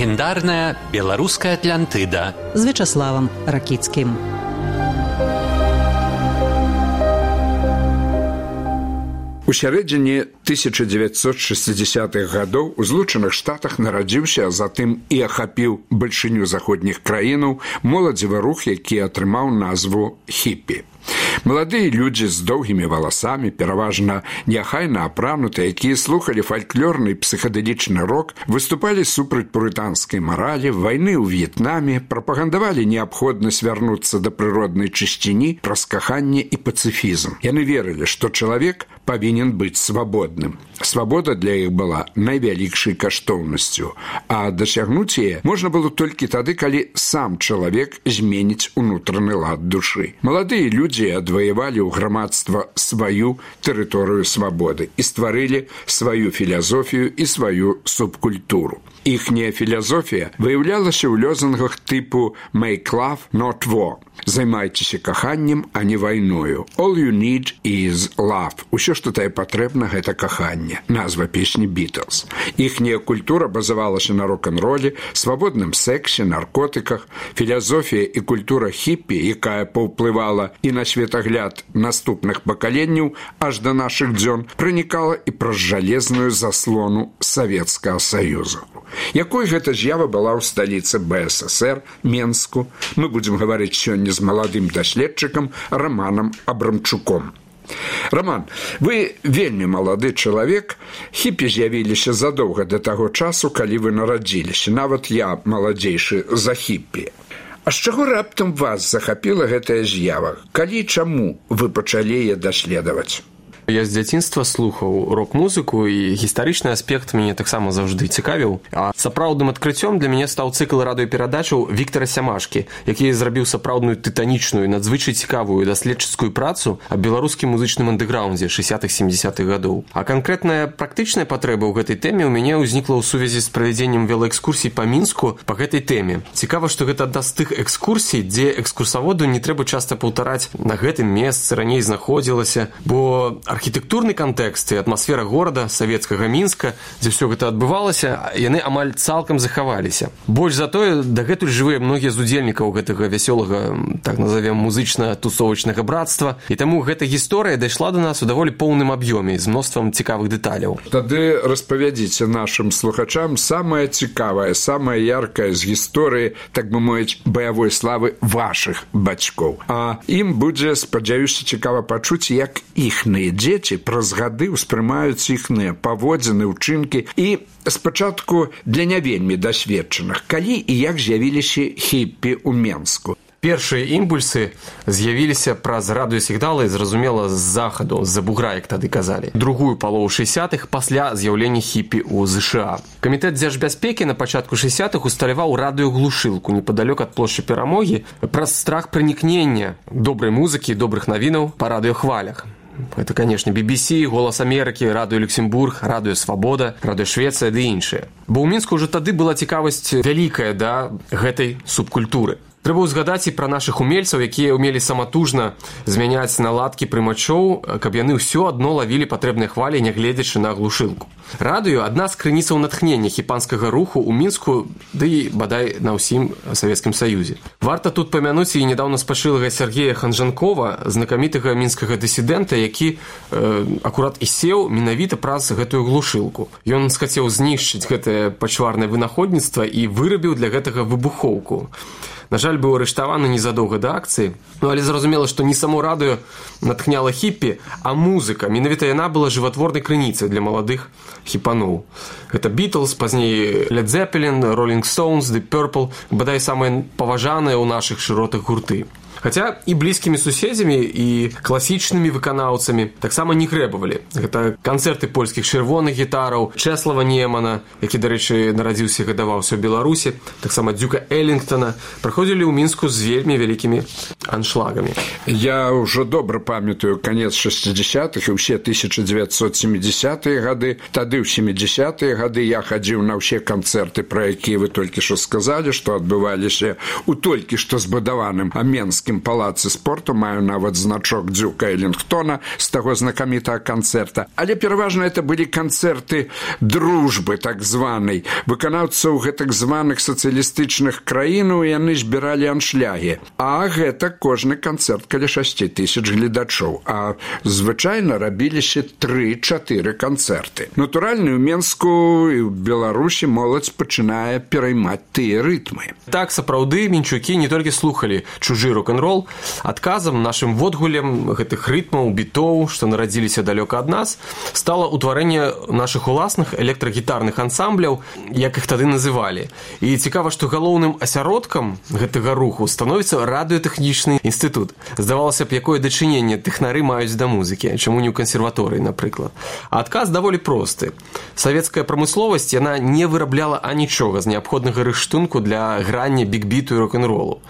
легендарная беларуская Атлантыда з Вячаславам Ракіцкім. У сярэдзіне 1960-х гадоў у Злучаных Штатах нарадзіўся, а затым і ахапіў бальшыню заходніх краінаў моладзевы рух, які атрымаў назву хіпі. Маладыя людзі з доўгімі валасамі, пераважна неахайна апранутыя, якія слухалі фальклорны і псіхадэлічны рок, выступалі супраць пурытанскай маралі, вайны ў В'етнаме, прапагандавалі неабходнасць вярнуцца да прыроднай чысціні, праз каханне і пацыфізм. Яны верылі, што чалавек павінен быць свабодным. Свабода для іх была найвялікшай каштоўнасцю, а дасягнуць яе можна было толькі тады, калі сам чалавек зменіць унутраны лад душы. Маладыя людзі адваявалі ў грамадства сваю тэрыторыю свабоды і стварылі сваю філасофію і сваю субкультуру. Іхняя філасофія выяўлялася ў лозунгах тыпу «Make love, not war». Займайцеся каханнем, а не вайною. All you need is love. Усё, што тае патрэбна, гэта каханне. Назва песні «Beatles». Іхняя культура базавалася на рок-н-роле, свабодным сексе, наркотыках. Філасофія і культура хіпі, якая паўплывала і на светагляд наступных пакаленняў аж да нашых дзён, пранікала і праз жалезную заслону Савецкага Саюзу. Якой гэта з'ява была ў сталіцы БССР, Менску, мы будзем гаварыць сёння з маладым даследчыкам Романам Абрамчуком. Роман, вы вельмі малады чалавек, хіпі з'явіліся задоўга да таго часу, калі вы нарадзіліся, нават я маладзейшы за хіпі. А з чаго раптам вас захапіла гэтая з'ява? Калі і чаму вы пачалі яе даследаваць? Я з дзяцінства слухаў рок-музыку, і гістарычны аспект мяне таксама заўжды цікавіў. А сапраўдным адкрыццём для мяне стаў цыкл радыёперадачаў Віктара Сямашкі, які зрабіў сапраўдную тытанічную, надзвычай цікавую даследчыцкую працу аб беларускім музычным андэграўндзе 60-70-х гадоў. А канкрэтная практычная патрэба ў гэтай тэме ў мяне ўзнікла ў сувязі з правядзеннем велаэкскурсій па Мінску па гэтай тэме. Цікава, што гэта адна з тых экскурсій, дзе экскурсаводу не трэба часта паўтараць на гэтым месцы раней знаходзілася, бо архітэктурны кантэкст і атмасфера горада, савецкага Мінска, дзе ўсё гэта адбывалася, яны амаль цалкам захаваліся. Больш за тое, дагэтуль жывыя многія з удзельнікаў гэтага вясёлага, так назовем, музычна-тусовачнага братства, і таму гэта гісторыя дайшла да нас у даволі поўным аб'ёме з мноствам цікавых дэталяў. Тады распавядзіце нашым слухачам самае цікавае, самае яркае з гісторыі, так бы мовіць, баявой славы вашых бацькоў. А ім будзе, спадзяюся, цікава пачуць, як іхныя дзеці праз гады ўспрымаюць іхныя паводзіны, учынкі і спачатку для не вельмі дасведчаных, калі і як з'явіліся хіпі ў Менску. Першыя імпульсы з'явіліся праз радыёсігналы, зразумела, з захаду, з-за бугра, як тады казалі. Другую палову 60-х пасля з'яўлення хіпі ў ЗША. Камітэт дзяржбяспекі на пачатку 60-х усталяваў радыёглушылку непадалёк ад плошчы Перамогі праз страх пранікнення добрай музыкі і добрых навінаў па радыёхвалях. Это, конечно, BBC, Голас Амерыкі, Радыё Люксембург, Радыё Свабода, Радыё Швецыя ды іншыя. Бо ў Мінску ўжо тады была цікавасць вялікая да гэтай субкультуры. Трэба ўзгадаць і пра нашых умельцаў, якія ўмелі саматужна змяняць наладкі прымачоў, каб яны ўсё адно лавілі патрэбныя хвалі, нягледзячы на глушылку. Радыё – адна з крыніцаў натхнення хіпанскага руху ў Мінску, ды і, бадай, на ўсім Савецкім Саюзе. Варта тут памянуць і нядаўна спачылага Сергея Ханжанкова, знакамітага мінскага дысідэнта, які акурат і сеў менавіта праз гэтую глушылку. Ён схацеў знішчыць гэтае пачварнае вынаходніцтва і вырабіў для гэтага выбухоўку. На жаль, быў арыштаваны незадоўга да акцыі, але зразумела, што не само радыё натхняла хіпі, а музыка. Менавіта яна была жыватворнай крыніцай для маладых хіпаноў. Гэта Beatles, пазней Led Zeppelin, Rolling Stones, The Purple, бадай самыя паважаныя ў нашых шыротах гурты. Хаця і блізкімі суседзямі, і класічнымі выканаўцамі таксама не грэбавалі. Гэта канцэрты польскіх чырвоных гітараў, Чэслава Немана, які, дарэчы, нарадзіўся і гадаваўся ў Беларусі, таксама Дюка Эллінгтона, праходзілі ў Мінску з вельмі вялікімі аншлагамі. Я ўжо добра памятаю канец 60-х і ўсе 1970-е гады. Тады ў 70-е гады я хадзіў на ўсе канцэрты, пра якія вы толькі што сказалі, што адбываліся ў толькі што збудаваным Менскім мінскім палацы спорту, маю нават значок Дзюка Эллингтона з таго знакамітага канцэрта. Але пераважна это былі канцэрты дружбы, так званай. Выканаўцаў гэтак званых сацыялістычных краінаў яны збіралі аншлягі. А гэта кожны канцэрт каля 6 000 гледачоў. А звычайна рабіліся 3-4 канцэрты. Натуральна, у Менску і ў Беларусі моладзь пачынае пераймаць тыя рытмы. Так, сапраўды, мінчукі не толькі слухалі чужы рок-н-рол, адказам нашым водгулем гэтых рытмаў, бітоў, што нарадзіліся далёка ад нас, стала ўтварэнне нашых уласных электрагітарных ансамбляў, як іх тады называлі. І цікава, што галоўным асяродкам гэтага руху становіцца радыётэхнічны інстытут. Здавалася б, якое дачыненне тэхнары маюць да музыкі, чаму не ў кансерваторыі, напрыклад. А адказ даволі просты. Савецкая прамысловасць, яна не вырабляла анічога з неабходнага рыштунку для грання бік-біту і рок-н-ролу.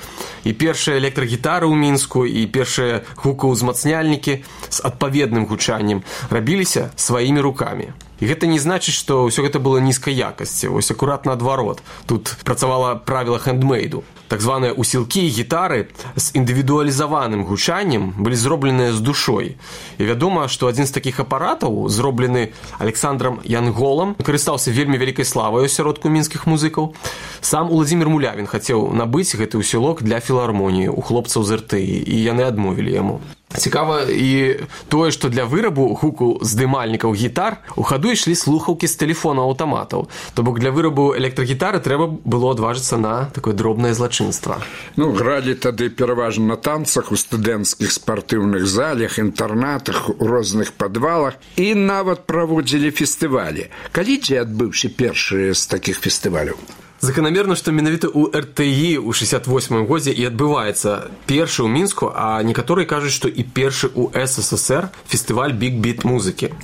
І першыя электрагітары ў Мінску, і першыя гукаўзмацняльнікі з адпаведным гучаннем рабіліся сваімі рукамі. І гэта не значыць, што ўсё гэта было нізкай якасці. Вось акурат наадварот. Тут працавала правіла хендмейду. Так званыя усілкі і гітары з індывідуалізаваным гучаннем былі зробленыя з душой. І вядома, што адзін з такіх апаратаў, зроблены Александрам Янголам, карыстаўся вельмі вялікай славай у асяродку мінскіх музыкаў. Сам Уладзімір Мулявін хацеў набыць гэты усілок для філармоніі у хлопцаў з РТІ, і яны адмовілі яму. Цікава і тое, што для вырабу гуку здымальнікаў гітар у хаду ішлі слухаўкі з тэлефона аўтаматаў. То бок для вырабу электрагітары трэба было адважыцца на такое дробнае злачынства. Гралі тады пераважна на танцах, у студэнцкіх спартыўных залях, інтэрнатах, у розных падвалах і нават праводзілі фестывалі. Калі дзе адбыўся першы з такіх фестываляў? Заканамерна, што менавіта ў РТІ ў 68-м годзе і адбываецца першы ў Мінску, а некаторыя кажуць, што і першы ў СССР фестываль бік-біт музыкі.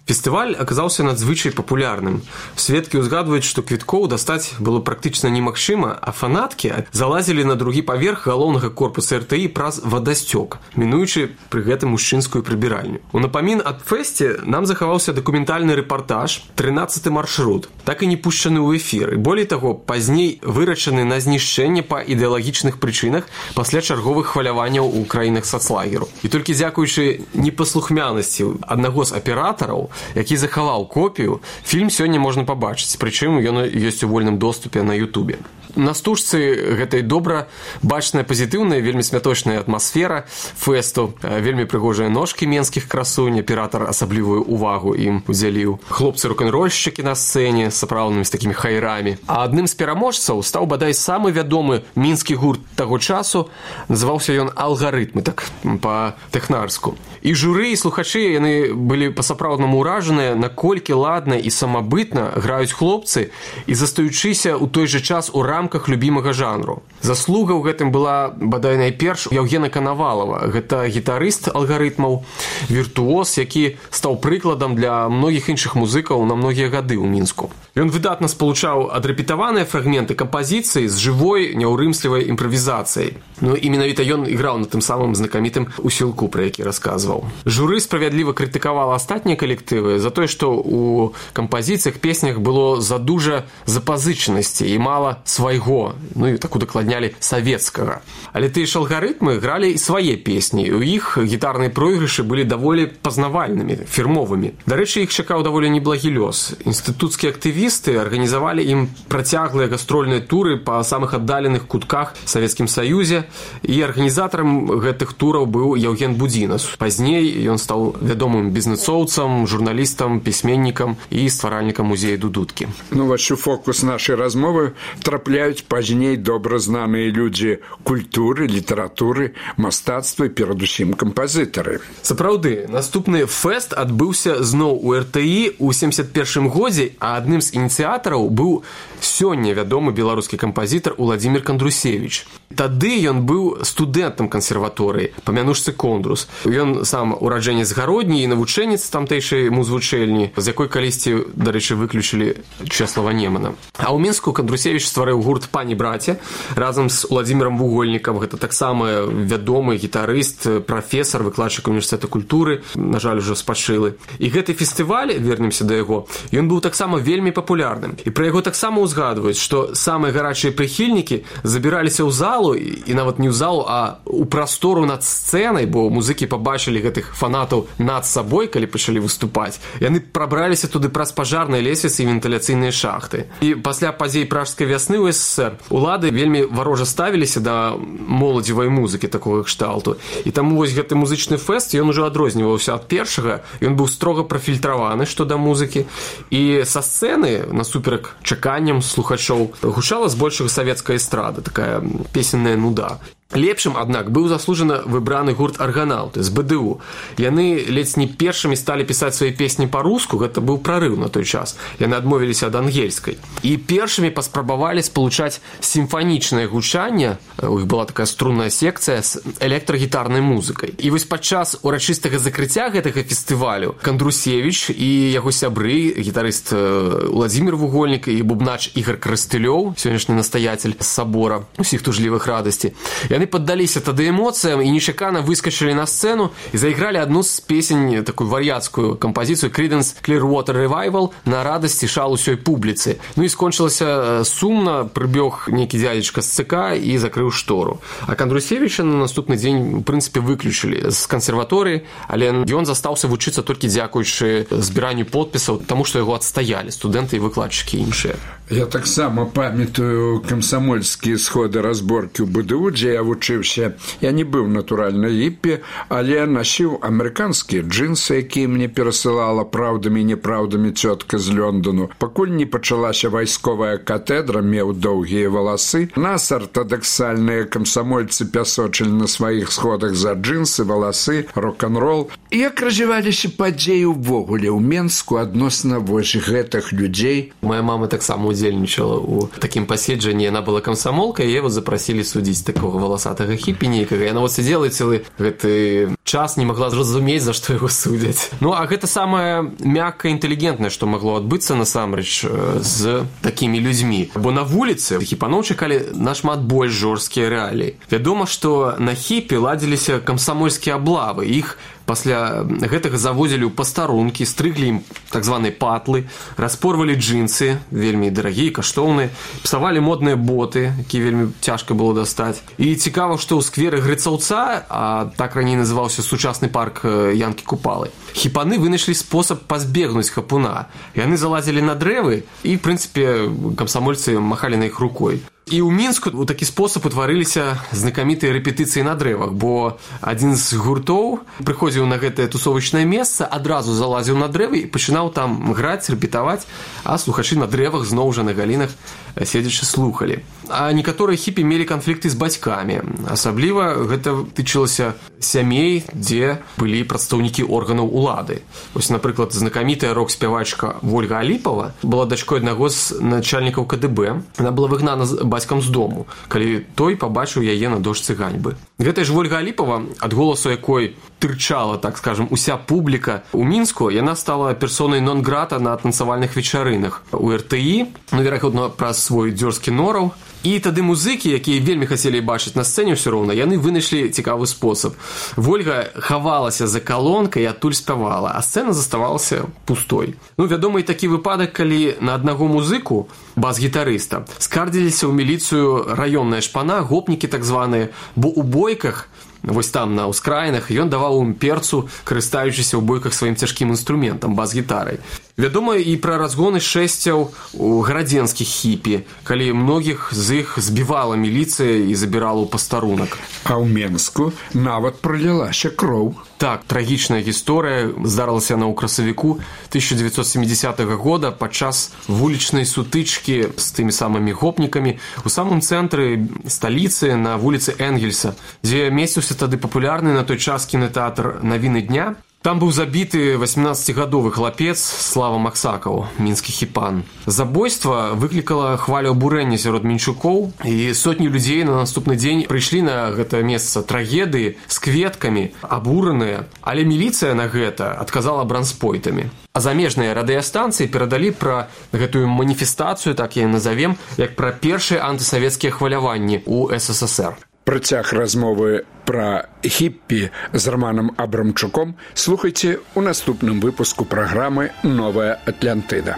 Фестываль аказаўся надзвычай папулярным. Сведкі ўзгадваюць, што квіткоў дастаць было практычна немагчыма, а фанаткі залазілі на другі паверх галоўнага корпуса РТІ праз вадасцёк, мінуючы пры гэтым мужчынскую прыбіральню. У напамін аб фэсце нам захаваўся дакументальны рэпартаж «13-й маршрут», так і не пушчаны ў эфір. І болей таго, пазней вырашаны на знішчэнне па ідэалагічных прычынах пасля чарговых хваляванняў у краінах сацлагеру. І толькі дзякуючы непаслухмянасці аднаго з аператараў, які захаваў копію, фільм сёння можна пабачыць, прычым ён ёсць у вольным доступе на Ютубе. На стужцы гэтай добра бачная пазітыўная, вельмі смяточная атмасфера фэсту, вельмі прыгожыя ножкі менскіх красунь, аператар асаблівую увагу ім удзяліў. Хлопцы рок-н-рольшчыкі на сцэне, сапраўднымі з такімі хайрамі. А адным з пераможцаў стаў бадай самы вядомы мінскі гурт таго часу, называўся ён «Алгарытмы», так па-тэхнарску. І журы, і слухачы, яны былі па-сапраўднаму ўражаныя, наколькі ладна і самабытна граюць хлопцы і застаючыся ў той жа час у рамках любімага жанру. Заслуга ў гэтым была, бадай найперш, Яўгена Канавалава. Гэта гітарыст алгарытмаў, віртуоз, які стаў прыкладам для многіх іншых музыкаў на многія гады ў Мінску. Ён выдатна спалучаў адрэпетаваныя фрагменты кампазіцыі з жывой, няўрымслівай імправізацыяй. І менавіта ён іграў на тым самым знакамітым усілку, пра які расказваў. Журы справядліва крытыкавала астатнія калектывы за тое, што ў кампазіцыях, песнях было задужа запазычанасці і мала свайго, і так удакладнялі савецкага. Але тыя ж алгарытмы гралі і свае песні, і ў іх гітарныя пройгрышы былі даволі пазнавальнымі, фірмовымі. Дарэчы, іх чакаў даволі неблагі лёс. Інстытуцкія актывісты арганізавалі ім працяглыя гастрольныя туры па самых аддаленых кутках Савецкім Саюзе, і арганізатарам гэтых тураў быў Яўген Будзінас. Пазней ён стаў вядомым бізнэсоўцам, журналістам, пісьменнікам і стваральнікам музея Дудуткі. Вось у фокус нашай размовы трапляюць пазней добра знаныя людзі культуры, літаратуры, мастацтва і перадусім кампазітары. Сапраўды, наступны фэст адбыўся зноў у РТІ ў 71-м годзе, а адным з ініцыятараў быў сёння вядомы беларускі кампазітар Уладзімір Кандрусевіч. Тады ён быў студэнтам кансерваторыі па мянушцы Кондрус. Ён сам ураджэнец Гародні і навучэнец тамтэйшай музвучэльні, з якой калісьці, дарэчы, выключылі Чэслава Немана. А ў Мінску Кандрусевіч стварыў гурт «Пані-браце» разам з Уладзімірам Вугольнікам. Гэта таксама вядомы гітарыст, прафесар, выкладчык універсітэта культуры, на жаль, ужо спачылы. І гэты фестываль, вернемся да яго, ён быў таксама вельмі папулярным. І пра яго таксама ўзгадваюць, што самыя гарачыя прыхільнікі забіраліся ў залу, і нават не ў залу, а ў прастору над сцэнай, бо музыкі пабачылі гэтых фанатаў над сабой, калі пачалі выступаць. Яны прабраліся туды праз пажарныя лесвіцы і вентыляцыйныя шахты. І пасля падзей пражскай вясны ў СССР улады вельмі варожа ставіліся да моладзевай музыкі такога кшталту. І таму вось гэты музычны фэст, ён ужо адрозніваўся ад першага, ён быў строга прафільтраваны што да музыкі. І са сцэны, насуперак чаканням слухачоў, гучала збольшага савецкая эстрада, такая песенная нуда. Лепшым, аднак, быў заслужана выбраны гурт «Арганаўты» з БДУ. Яны ледзь не першымі сталі пісаць свае песні па-руску, гэта быў прарыў на той час. Яны адмовіліся ад ангельскай. І першымі паспрабавалі спалучаць сімфанічнае гучанне, у іх была такая струнная секцыя, з электрагітарнай музыкай. І вось падчас урачыстага закрыцця гэтага фестывалю Кандрусевіч і яго сябры, гітарыст Уладзімір Вугольнік і бубнач Ігар Крастылёў, сённяшні настаяцель сабора усіх тужлівых радасці, яны паддаліся тады эмоцыям і нечакана выскачылі на сцэну і зайгралі адну з песень, такую вар'яцкую кампазіцыю «Creedence Clearwater Revival» на радасці шал усёй публіцы. Ну і скончылася сумна, прыбег нейкі дзядзечка з ЦК і закрыў штору. А Кандрусевіча на наступны дзень, у прынцыпе, выключылі з кансерваторыі, але ён застаўся вучыцца толькі дзякуючы збіранню подпісаў, таму што яго адстаялі студэнты і выкладчыкі іншыя. Я таксама памятаю камсамольскія сходы разборкі ў БДУ, дзе я вучыўся. Я не быў натуральна хіпі, але насіў амерыканскія джинсы, якія мне перасылала праўдамі і неправдамі цётка з Лондону. Пакуль не пачалася вайсковая катедра, меў доўгія валасы. Нас артадаксальныя камсамольцы пясочылі на сваіх сходах за джинсы, валасы, рок-н-рол. Як развіваліся падзеі ўвогуле ў Менску адносна вось гэтых людзей? Моя мама таксама удзельнічала ў такім паседжанні. Яна была камсамолкай, і яго запрасілі судзіць такога валасатага хіпі нейкага. Яна вот сидзела цэлы гэты час, не магла зразумець, за што яго судзяць. Ну, а гэта самае мяккае, інтэлігентнае, што магло адбыцца насамрэч з такімі людзьмі. Бо на вуліцы хіпаноў чакалі нашмат больш жорсткія рэаліі. Вядома, што на хіпе ладзіліся камсамольскія аблавы. Іх пасля гэтага завозілі ў пастарункі, стрыглі ім так званыя патлы, распорвалі джинсы, вельмі дарагія, каштоўныя, псавалі модныя боты, якія вельмі цяжка было дастаць. І цікава, што ў скверы Грыцаўца, а так раней называўся сучасны парк Янкі Купалы, хіпаны вынайшлі спосаб пазбегнуць хапуна. Яны залазілі на дрэвы і, в прынцыпе, камсамольцы махалі на іх рукой. І ў Мінску ў такі спосаб утварыліся знакамітыя рэпетыцыі на дрэвах, бо адзін з гуртоў прыходзіў на гэтае тусовачнае месца, адразу залазіў на дрэвы і пачынаў там граць, рэпетаваць, а слухачы на дрэвах зноў жа на галінах седзячы слухалі. А некаторыя хіпі мелі канфлікты з бацькамі. Асабліва гэта тычылася сямей, дзе былі прадстаўнікі органаў улады. Вось, напрыклад, знакамітая рок-спявачка Вольга Аліпова была дачкой аднаго з начальнікаў КДБ. Яна была выгнана бацькам з дому, калі той пабачыў яе на дошцы ганьбы. Гэтая ж Вольга Аліпова, ад голасу якой тырчала, так скажем, уся публіка у Мінску, яна стала персонай нон-грата на танцавальных вечарынах у РТІ, ну, верагодна, праз свой дзёрзкі нораў. І тады музыкі, якія вельмі хацелі бачыць на сцэне ўсё роўна, яны вынайшлі цікавы спосаб. Вольга хавалася за калонкай і адтуль спявала, а сцэна заставалася пустой. Ну, вядома і такі выпадак, калі на аднаго музыку, бас-гітарыста, скардзіліся ў міліцыю раённая шпана, гопнікі так званыя, бо ў бойках, вось там на ўскраінах, ён даваў ім перцу, карыстаючыся ў бойках сваім цяжкім інструментам, бас-гітарай. Вядома і пра разгоны шэсцяў у гарадзенскіх хіпі, калі многіх з іх збівала міліцыя і забірала ў пастарунак. А ў Менску нават пролілася кроў. Так, трагічная гісторыя здарылася яна ў красавіку 1970 года падчас вулічнай сутычкі з тымі самымі гопнікамі у самым цэнтры сталіцы на вуліцы Энгельса, дзе месціўся тады папулярны на той час кінотэатр «Навіны дня». Там быў забіты 18-гадовы хлапец Слава Максакаў, мінскі хіпан. Забойства выклікала хвалю абурэння сярод менчукоў, і сотні людзей на наступны дзень прыйшлі на гэта месца трагедыі з кветкамі, абураныя, але міліцыя на гэта адказала бранспойтамі. А замежныя радыёстанцыі перадалі пра гэтую маніфестацыю, так я назовем, як пра першыя антысавецкія хваляванні ў СССР. Працяг размовы пра хіппі з Романом Абрамчуком слухайце ў наступным выпуску праграмы «Новая Атлантыда».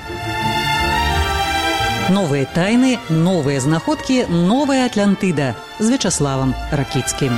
Новыя тайны, новыя знаходкі, новая Атлантыда з Вячаславам Ракіцкім.